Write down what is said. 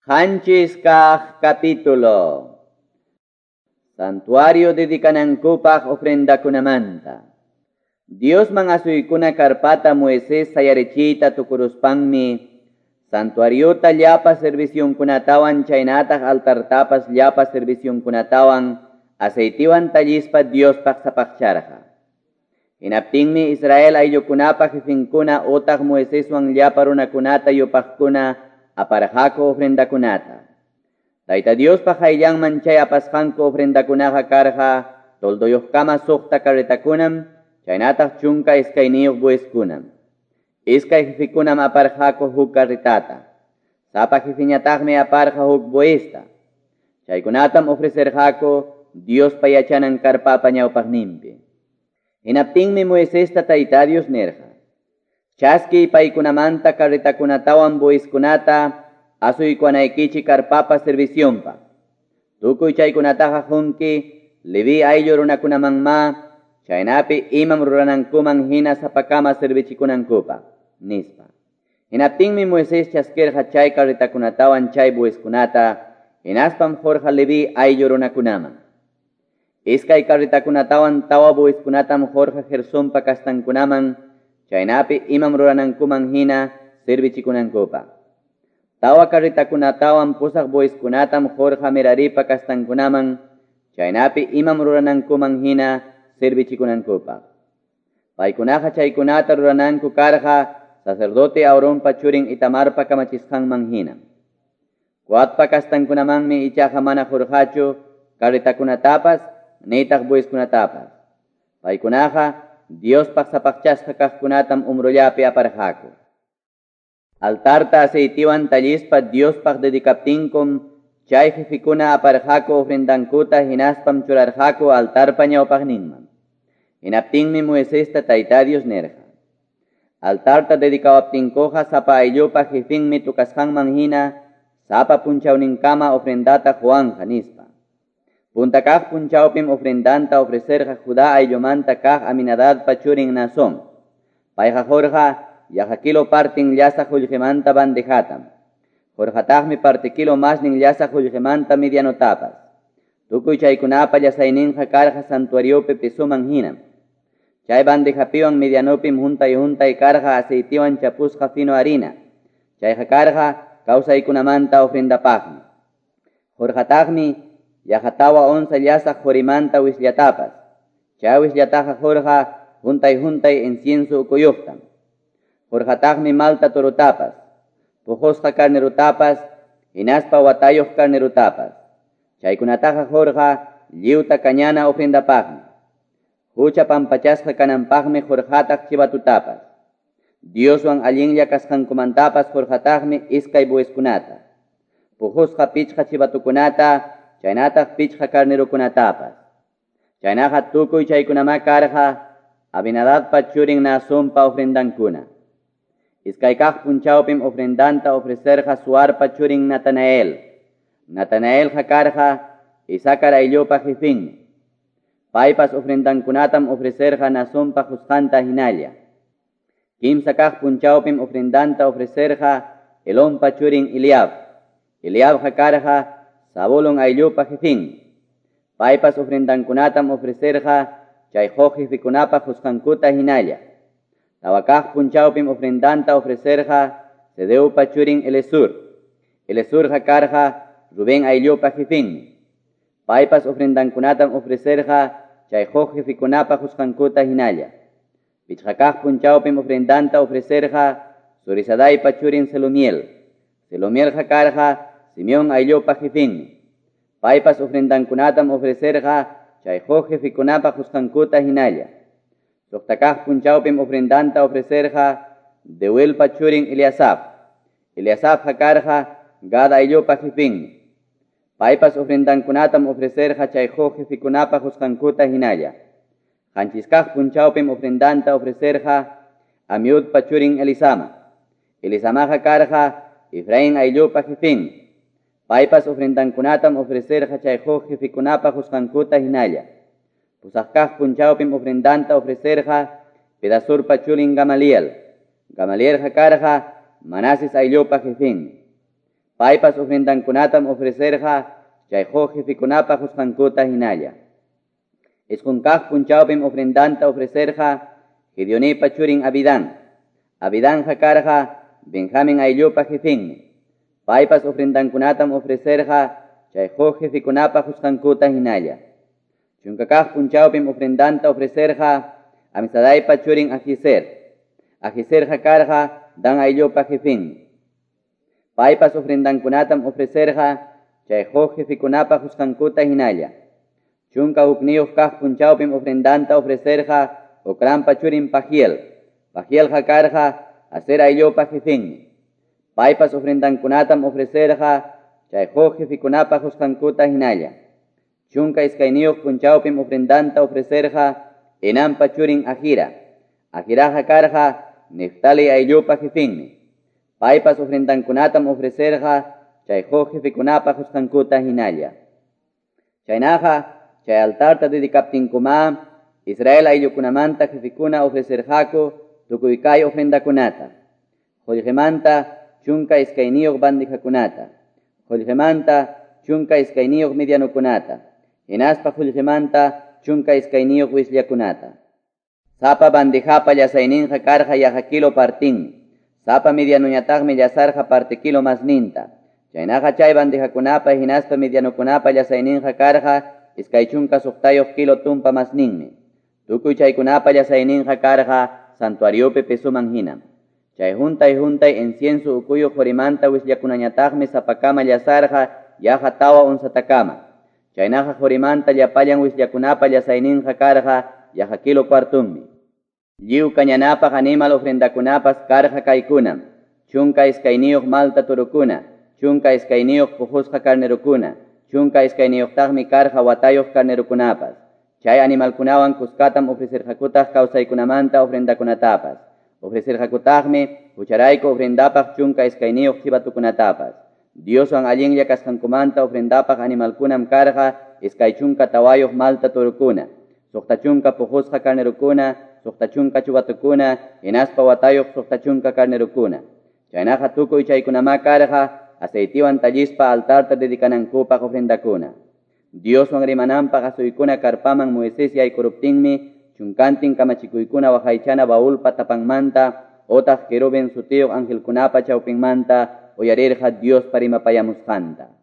Qanchis kaq capítulo. Santuario dedikanankupaq ofrendakunamanta. Diosman asuykuna karpata Moisés sayarichiyta tukuruspanmi, santuariota llapa servicionkunatawan chaynataq altartapas llapa servicionkunatawan aceitiwan tallispa Diospaq sapaqcharqa. Hinaptinmi Israel ayllukunapa jefinkuna utaq Moiseswan llapa runakunata yupaqkuna aparqaku ofrendakunata. Tayta Diospaq qayllanman chay apasqanku ofrendakunaqa karqa tolduyuqkama suqta carretakunam, chaynataq 12 bueyeskunam. Iskay jefikunam aparqaku huk carretata. Sapa jefiñataqmi aparqa huk bueyesta. Chaykunatam ofrecerqaku Diospa yachanan karpapa ñawpaqninpi. Hinaptinmi Moisesta Tayta Dios nirqa: Chaskiy paykunamanta carretakunatawan bueyeskunata asuykuwanaykichik karpapa servicionpaq. Tukuy chaykunataqa qunki Leví ayllu runakunamanmá, chaynapi imam ruranankuman hina sapakama servichikunankupaq, nispa. Hinaptinmi Moisés chaskirqa chay carretakunatawan chay bueyeskunata, hinaspam qurqa Leví ayllu runakunaman. Iskay carretakunatawan tawa bueyeskunatam qurqa Gersonpa kastankunaman, chaynapi imam ruranankuman hina servichikunankupaq. Tawa carretakunatawan pusaq bueyeskunatam qurqa Meraripa kastankunaman, chaynapi imam ruranankuman hina servichikunankupaq. Paykunaqa chaykunata rurananku karqa sacerdote Aaronpa churin Itamarpa kamachisqanman hina. Coatpa kastankunamanmi ichaqa mana qurqachu carretakunatapas nitaq bueyeskunatapas. Paykunaqa Diospaq sapaqchasqa kaqkunatam umrullapi aparqaku. Altarta aceitiwan tallispa Diospaq dedikaptinkum, chay jefikuna aparqaku ofrendankuta hinaspam churarqaku altarpa ñawpaqninman. Hinaptinmi Moisesta Tayta Dios nirqa: Altarta dedikawaptinkuqa sapa ayllupa jefinmi tukasqanman hina sapa punchawninkama ofrendata quwanqa, nispa. Punta kaq punchawpim ofrendanta ofrecerqa Judá ayllumanta kaq Aminadabpa churin Naasón. Payqa qurqa yaqa kilo partin llasaq qullqimanta bandejatam. Qurqataqmi parte kilo masnin llasaq qullqimanta medianotapas. Tukuy chaykunapa llasayninqa karqa santuariopi pesoman hinam. Chay bandejapiwan medianopim juntay juntay karqa aceitiwan chapusqa fino harina. Chayqa karqa kawsaykunamanta ofrendapaqmi. Qurqataqmi yaqa tawa onza llasaq qorimanta wisllatapas. Chay wisllataqa qurqa juntay juntay incienso ukuyuqtam. Qurqataqmi malta torutapas, puqusqa carnerutapas, hinaspa watayuq carnerutapas. Chaykunataqa qurqa lliwta kañana ofrendapaqmi. Hucha pampachasqa kananpaqmi qurqataq chivatutapas. Dioswan allinlla kasqankumantapas qurqataqmi iskay bueyeskunata, puqusqa pichqa chivatukunata, chaynataq pichqa carnerukunatapas. Chaynaqa tukuy chaykunamá karqa Abinadabpa churin Naasonpa ofrendankuna. Iskay kaq punchawpim ofrendanta ofrecerqa Suarpa churin Natanael. Natanaelqa karqa Isacar ayllupa jefinmi. Paypas ofrendankunatam ofrecerqa Naasonpa qusqanta hinalla. Kimsa kaq punchawpim ofrendanta ofrecerqa Elonpa churin Eliab. Eliabqa karqa Zabulón ayllupa jefinmi. Paypas ofrendankunatam ofrecerqa chay huk jefikunapa qusqankuta hinalla. Tawa kaq punchawpim ofrendanta ofrecerqa Sedeupa churin Elesur. Elesurqa karqa Rubén ayllupa jefinmi. Paypas ofrendankunatam ofrecerqa chay huk jefikunapa qusqankuta hinalla. Pichqa kaq punchawpim ofrendanta ofrecerqa Zurisadaipa churin Selumiel. Selumielqa karqa Simeón ayllupa jefinmi. Paypas ofrendankunatam ofrecerqa chay huk jefikunapa qusqankuta hinalla. Suqta kaq punchawpim ofrendanta ofrecerqa Deuelpa churin Eliasaf. Eliasafqa karqa Gad ayllupa jefinmi. Paypas ofrendankunatam ofrecerqa chay huk jefikunapa qusqankuta hinalla. Qanchis kaq punchawpim ofrendanta ofrecerqa Amiudpa churin Elisama. Elisamaqa karqa Efraín ayllupa jefinmi. Paypas ofrendankunatam ofrecerqa chay huk jefikunapa qusqankuta hinalla. Pusaq kaq punchawpim ofrendanta ofrecerqa Pedasurpa churin Gamaliel. Gamalielqa karqa Manases ayllupa jefinmi. Paypas ofrendankunatam ofrecerqa chay huk jefekunapa qusqankuta hinalla. Isqun kaq punchawpim ofrendanta ofrecerqa Gideonipa churin Abidán. Abidanqa karqa Benjamin ayllupa jefenmi. Paypas ofrendankunatam ofrecerqa chay huk jefekunapa qusqankuta hinalla. Chunka kaq punchawpim ofrendanta ofrecerqa Amisadaipa churin Ahiser. Ahiserqa karqa Dan ayllupa jefenmi. Paypas ofrendankunatam ofrecerqa chay huk jefekunapa qusqankuta hinalla. Chunka hukniyuq kaq punchawpim ofrendanta ofrecerqa Ocranpa churin Pagiel. Pagielqa karqa Aser ayllupa jefenmi. Paypas ofrendankunatam ofrecerqa chay huk jefekunapa qusqankuta hinalla. Chunka iskayniyuq punchawpim ofrendanta ofrecerqa Enanpa churin Ahira. Ahiraqa karqa Neftali ayllupa jefenmi. Paypas ofrendankunatam ofrecerqa chay huk jefekunapa qusqankuta hinalla. Chaynaqa chay altarta dedicaptinkuma Israel ayllukunamanta jefekuna ofrecerqaku tukuy kay ofrendakunata. Qullqimanta 12 bandejakunata. Qullqimanta 12 medianokunata. Hinaspa qullqimanta 12 wisllakunata. Sapa bandejapa llasayninqa karqa yaqa kilo partinmi. Sapa medianoñataqmi llasarqa parte kilo masninta. Chaynaqa chay bandejakunapa hinaspa medianokunapa llasayninqa karqa 26 kilo tumpa masninmi. Tukuy chaykunapa llasayninqa karqa santuariopi pesuman hinam. Chay juntay juntay incienso ukuyuq qurimanta wisllakunañataqmi sapakama llasarqa yaqa 4 onzatakama. Chaynaqa qurimanta llapallan wisllakunapa llasayninqa karqa yaqa kilo cuartunmi. Lliw kañanapaq animal ofrendakunapas karqa kaykunam. 12 malta turukuna, 12 puqusqa carnerukuna, 12taqmi karqa watayuq carnerukunapas. Chay animalkunawan kuskatam ofrecerqakutaq kawsaykunamanta ofrendakunatapas. Ofrecerqakutaqmi hucharayku ofrendapaq 12 chivatukunatapas. Dioswan allinlla kasqankumanta ofrendapaq animalkunam karqa 24 malta turukuna, 60 puqusqa carnerukuna, 60 chubatukuna, hinaspa watayuq 60 carnerukuna. Chaynaqa tukuy chaykunamá karqa aceitiwan tallispa altarta dedicanankupaq ofrendakuna. Dioswan rimananpaq asuykuna karpaman Moisés yaykuruptinmi chunkantin kamachikuykuna waqaychana baulpa tapanmanta otaq querubin sutiyuq angelkunapa chawpinmanta uyarirqa Diospa rimapayamusqanta.